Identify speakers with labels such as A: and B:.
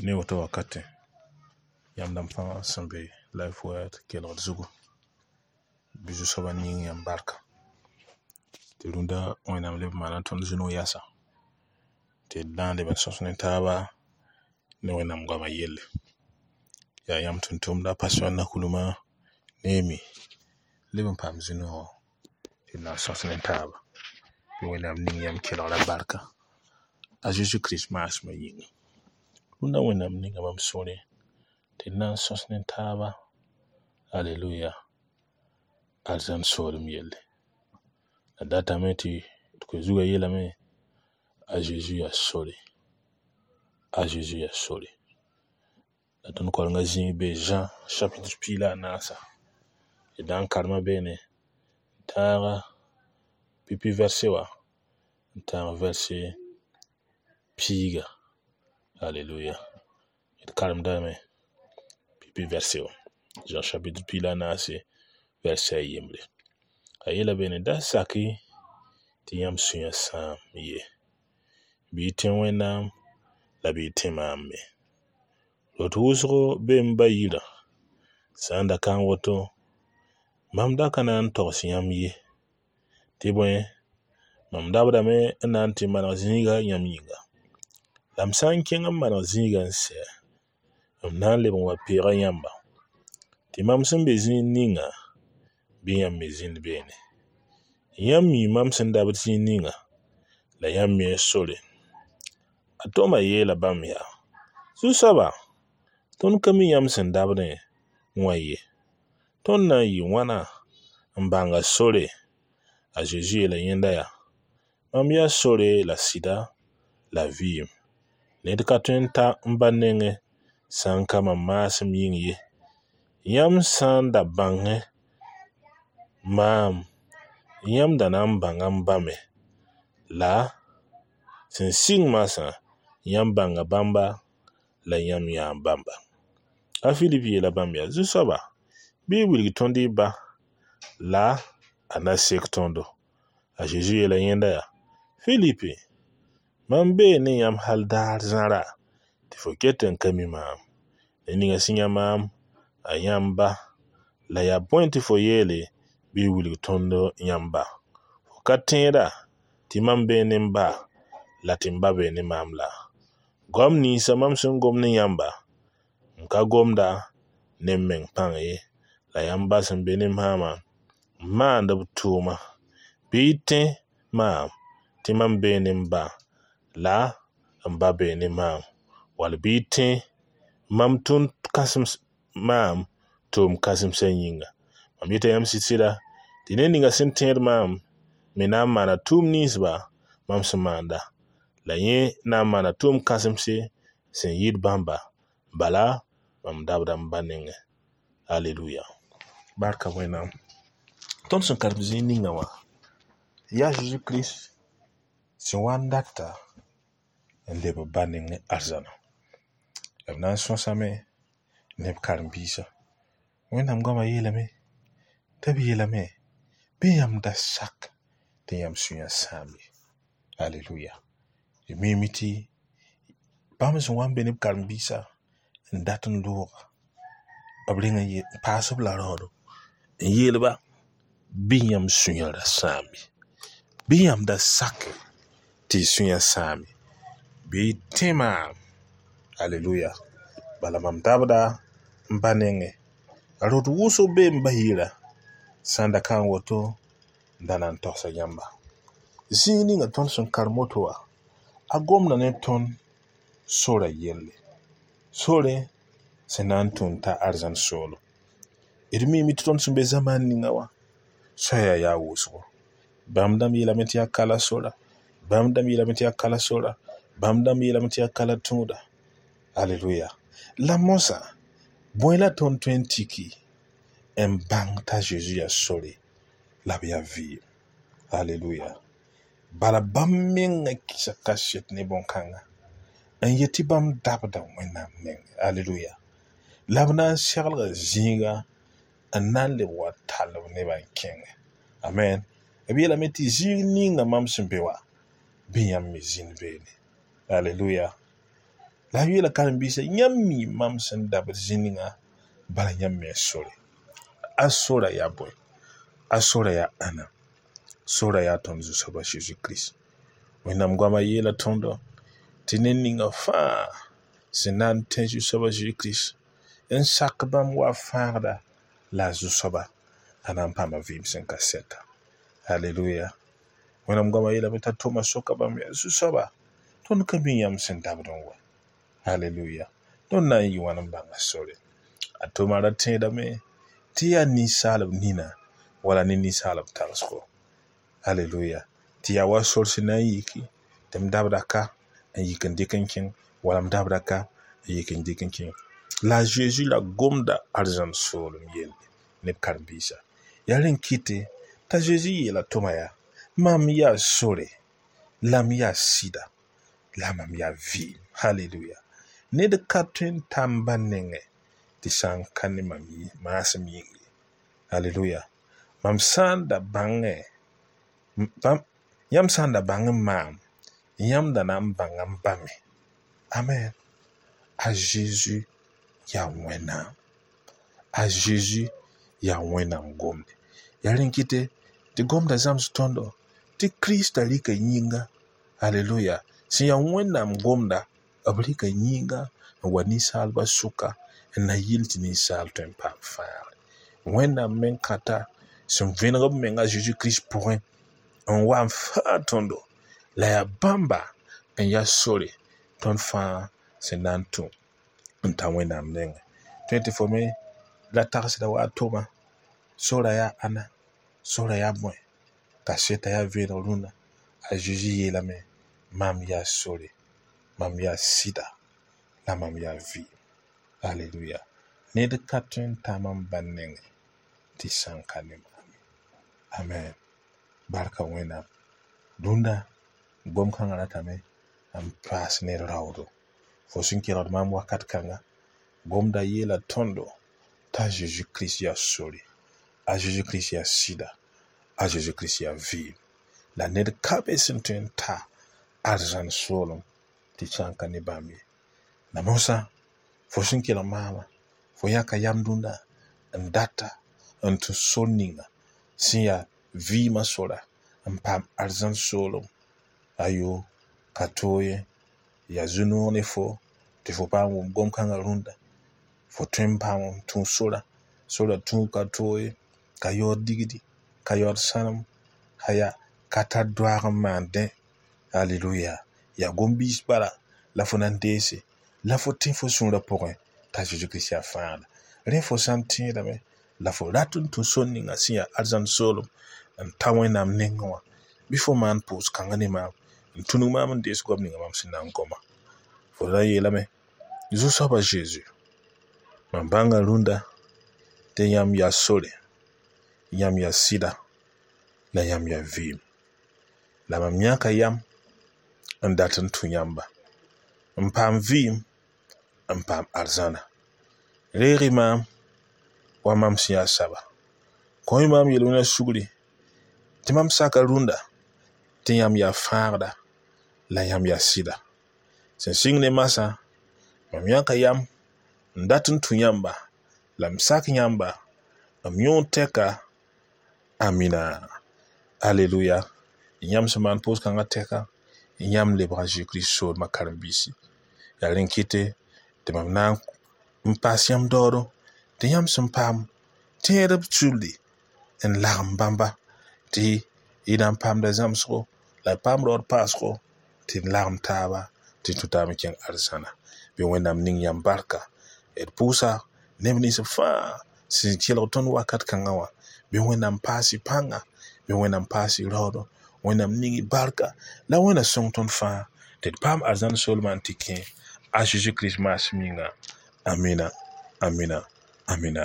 A: Ne woto wakatẽ, yãmb dãmb fãa sẽn be Life Word kelgd zugu, bɩ Zu-soabã ning yãmb barka tɩ rũndã Wẽnnaam leb n maana tõnd zu-noog yasa tɩ d na n leb n sõs ne taaba ne Wẽnnaam goamã yelle. Yaa yãmb tʋm-tʋmda Pastor Nakulmã Neemi leb n paam zu-noogã tɩ d na n sõs ne taaba. Bɩ Wẽnnaam ning yãmb kelgrã barka a Zeezi Kirist maasmã yĩnga. Rũndã Wẽnnaam ninga mam sũurẽ tɩ d na n sõs ne taaba, aleluya, arzãn soolem yelle. La datame tɩ d koe-zugã yeelame a Zeezi yaa sore, a Zeezi yaa sore. La tõnd karenga zĩig bee Zã chapitre piig la a naasa. D na n karema beene n tãag pipi vɛrse wã n tãag vɛrse piiga. Aleluya. D karemdame pipi vɛrse wã. Zã chapitre piig la a naase vɛrse a yembre. A yeela beene da sak-y tɩ yãmb sũyã sãam ye. Bɩ y tẽ Wẽnnaam la bɩ y tẽ maam me. Rot wʋsgo bee m ba yirã, sã n da ka n woto, mam da ka na n togs yãmb ye. Tɩ bõe, mam dabdame n na n tɩ maneg zĩiga yãmb yĩnga. La m sã n kẽng n maneg zĩigã n sɛ, m na n leb n wa peega yãmba, tɩ mam sẽn be zĩig ninga, bɩ yãmb me zĩnd beene. Yãmb mi mam sẽn dabd zĩig ninga, la yãmb mi sore. A Toma yeela bãmb yaa: Zu-soaba, tõnd ka mi yãmb sẽn dabdẽ wã ye. Tõnd na n yɩ wãna n bãnga sore? A Zeezi yeela yẽnda yaa: Mam yaa sore la sɩda la vɩɩm. Ned ka tõe n ta n ba nengẽ sã n ka mam maasem yĩng ye. Yãmb sã n da bãngẽ maam, yãmb da na n bãnga m ba me. La sẽn sɩng marsã, yãmb bãnga bãmba la yãmb yãa bãmba. A Filip yeela bãmb yaa: Zu-soaba, bɩ y wilg tõnd y ba la a na sek tõndo. A Zeezi yeela yẽnda yaa: Filipe, mam bee ne yãmb hal daar zãra tɩ fo ket n ka mi maam. Ned ninga sẽn yã maam, a yã m ba. La yaa bõe tɩ fo yeele bɩ y wilg tõnd yãmb ba? Fo ka tẽeda tɩ mam bee ne m ba la tɩ m ba bee ne maam la? Goam ninsã mam sẽn gom ne yãmba, m ka gomda ne m meng pãng ye, la yaa m ba sẽn be ne maamã n maand b tʋʋma. Bɩ y tẽ maam tɩ mam bee ne m ba la m ba bee ne maam, wall bɩ y tẽ mam tʋm kãsems maam tʋʋm kãsemsã yĩnga. Mam yeta yãmb sɩd-sɩda tɩ ned ninga sẽn tẽed maam me na n maana tʋʋm ninsba mam sẽn maanda, la yẽ na n maana tʋʋm kãsemse sẽn yɩɩd bãmba, bala mam dabda m ba nengẽ. Aleluya. Barka Wẽnnaam. Tõnd sẽn karem zĩig ninga wã, yaa Zeezi Kirist sẽn wa n data n leb b ba nengẽ arzãna. La b na n sõsame ne b karen-biisã. Wẽnnaam goamã yeelame tɩ b yeelame bɩ yãmb da sak tɩ yãmb sũyã sãam ye. Aleluya. D miime tɩ bãmb sẽn wa n be ne b karen-biisã n dat n looga, b reng n paas b la raoodo n yeel-ba bɩ yãmb sũyã ra sãam ye. Bɩ yãmb da sake tɩ y sũyã sãam ye. Bɩ y tẽ maam. Aleluya. Bala mam dabda m ba nengẽ. A rot wʋsg bee m ba yirã, sã n da ka n woto, n da na n togsa yãmba. Zĩig ninga tõnd sẽn karem woto wã, a gomda ne tõnd sora yelle. Sore sẽn na n tũud ta arzãn soolem. D miime tɩ tõnd sẽn be zamaan ninga wã, soaya yaa wʋsgo. Bãmb dãmb yeelame tɩ yaa kala sora, bãmb dãmb yeelame tɩ yaa kala sora, bãmb dãmb yeelame tɩ yaa kala tũuda. Aleluya. La mosã, bõe la tõnd tõe n tiki n bãng t'a Zeezi yaa sore la b yaa vɩɩm? Aleluya. Bala bãmb mengã kɩsa kaset ne bõn-kãnga n yet tɩ bãmb dabda Wẽnnaam nengẽ. Aleluya. La b na n seglga zĩiga n na n leb wa tall b nebã n kẽngɛ. Amen. B yeelame tɩ zĩig ninga mam sẽn be wã, bɩ yãmb me zĩnd beene. Aleluya. La a yeela karen-biisã, yãmb mi mam sẽn dabd zĩ ninga, bala yãmb me sore. A sora yaa bõe? A sora yaa ãnna? Sora yaa tõnd Zu-soaba Zeezi Kirist. Wẽnnaam goamã yeela tõndo tɩ ned ninga fãa sẽn na n tẽ Zu-soaba Zeezi Kirist n sak bãmb wa fãagda la a Zu-soaba, a na n paama vɩɩm sẽn ka sɛta. Aleluya. Wẽnnaam goamã yeelame t'a Toma soka bãmb yaa Zu-soaba, tõnd ka mi yãmb sẽn dabd n wa. Aleluya. Tõnd na n yɩ wãn n bãnga sore? A Toma ra tẽedame tɩ yaa ninsaalb nina wala ne ninsaalb tagsgo. Aleluya. Tɩ yaa wa sor sẽn na n yiki tɩ m dabda ka n yik n dɩk n kẽng wala m dabda ka n yik n dɩk n kẽng. La a Zeezi la gomda arzãn soolem yelle ne b karen-biisã. Yaa rẽn kɩte t'a Zeezi yeela Toma yaa, mam yaa sore, la m yaa sɩda, la mam yaa vɩɩm. Aleluya. Ned ka tõe n ta m ba nengẽ tɩ sã n ka ne mam maasem yĩng ye. Aleluya. Mam sã n da bãngẽ, yãmb sã n da bãng n maam, yãmb da na n bãnga m ba me. Amen. A Zeezi yaa Wẽnnaam. A Zeezi yaa Wẽnnaam gomde. Yaa rẽn kɩte tɩ gomda zãms tõndo tɩ Kirista rɩka yĩnga. Aleluya. Sẽn yaa Wẽnnaam gomda, b rɩka yĩnga n wa ninsaalbã sʋka n na yɩl tɩ ninsaal tõe n paam fãagre. Wẽnnaam meng kãta sẽn vẽneg b menga a Zeezi Kirist pʋgẽ n wa n fãag tõndo la yaa bãmba n yaa sore tõnd fãa sẽn na n tũ n ta Wẽnnaam nengẽ. Tõe tɩ fo me ra tagsda wa a Toma, sora yaa ãnna, sora yaa bõe, kaseta yaa vẽeneg rũnna. A Zeezi yeelame, mam yaa sore, mam yaa sɩda, la mam yaa vɩɩm. Aleluya. Ned ka tõe n ta mam ba nengẽ tɩ sã n ka ne maam ye. Amen. Barka Wẽnnaam. Rũndã gom-kãngã ratame n paas ned raoodo. Fo sẽn kelgd maam wakat kãnga, gomda yeela tõndo t'a Zeezi Kirist yaa sore, a Zeezi Kirist yaa sɩda, a Zeezi Kirist yaa vɩɩm. La ned ka be sẽn tõe n ta arzãn soolem tɩ sã n ka ne bãmb ye. La mosã, fo sẽn kelg maamã, fo yãka yam dũnna n data n tũ sor ninga sẽn yaa vɩɩmã sora n paam arzãn soolem. Ayo, ka toog ye, yaa zu-noog ne fo tɩ fo paam wʋm gom-kãngã rũndã. Fo tõe n paam n tũ sora, sora tũub ka toog ye, ka yaood digdi, ka yaood sãnem, aya ka tar doaag n maan dẽ. Aleluya. Yaa gom-biis bala la fo na n deese, la fo tẽ fo sũurã pʋgẽ t'a Zeezi Kirist yaa fãagda. Rẽ fo sã n tẽedame la fo rat n tũ sor ninga sẽn yaa arzãn soolem n ta Wẽnnaam nengẽ wã, bɩ fo maan pʋʋs-kãngã ne maam n tũnug maam n dees goam ninga mam sẽn na n goma. Fo ra yeelame, Zu-soaba Zeezi, mam bãnga rũndã tɩ yãmb yaa sore, yãmb yaa sɩda, la yãmb yaa vɩɩm. La mam yãka yam n dat n tũ yãmba, n paam vɩɩm, n paam arzãna. Reeg-y maam wa mam sẽn yaa saba. Kõ-y maam yel-wẽnã sugri tɩ mam saka rũndã tɩ yãmb yaa fãagda la yãmb yaa sɩda. Sẽn sɩng ne masã, mam yãka yam n dat n tũ yãmba la m sak yãmba m yõod tɛka. Amina. Aleluya. Yãmb sẽn maan pʋʋs-kãngã tɛka, yãmb lebga Zeezi Kirist soolmã karen-biisi. Yaa rẽn kɩte tɩ mam na n paas yãmb daoodo tɩ yãmb sẽn paam tẽedb sulli n lagem bãmba tɩ y na n paamda zãmsgo la y paam raood paasgo tɩ d lagem taaba tɩ tũ taab n kẽng arzãna. Bɩ Wẽnnaam ning yãmb barka. D pʋʋsa neb nins fãa sẽn kelg tõnd wakat kãngã wã. Bɩ Wẽnnaam paas y pãnga, bɩ Wẽnnaam paas y raoodo, Wẽnnaam ning y barka la Wẽnna sõng tõnd fãa tɩ d paam arzãn soolmã n tɩ kẽ a Zeezi Kirist maasem yĩnga. Amina, amina, amina.